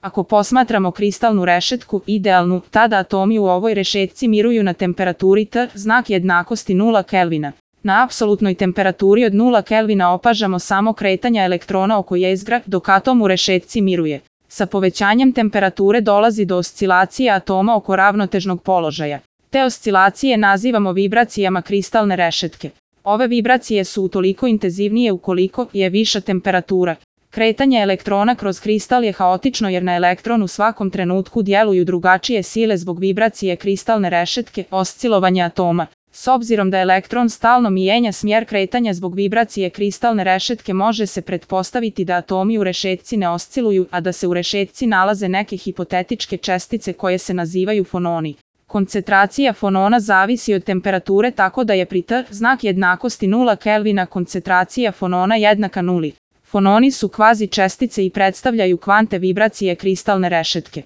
Ako posmatramo kristalnu rešetku, idealnu, tada atomi u ovoj rešetci miruju na temperaturi T, znak jednakosti 0 Kelvina. Na apsolutnoj temperaturi od 0 Kelvina opažamo samo kretanja elektrona oko jezgra, dok atom u rešetci miruje. Sa povećanjem temperature dolazi do oscilacije atoma oko ravnotežnog položaja. Te oscilacije nazivamo vibracijama kristalne rešetke. Ove vibracije su utoliko intenzivnije ukoliko je viša temperatura. Kretanje elektrona kroz kristal je haotično jer na elektron u svakom trenutku djeluju drugačije sile zbog vibracije kristalne rešetke, oscilovanja atoma. S obzirom da elektron stalno mijenja smjer kretanja zbog vibracije kristalne rešetke, može se pretpostaviti da atomi u rešetci ne osciluju, a da se u rešetci nalaze neke hipotetičke čestice koje se nazivaju fononi. Koncentracija fonona zavisi od temperature, tako da je pri T, znak jednakosti 0 Kelvina, koncentracija fonona jednaka nuli. Fononi su kvazi čestice i predstavljaju kvante vibracije kristalne rešetke.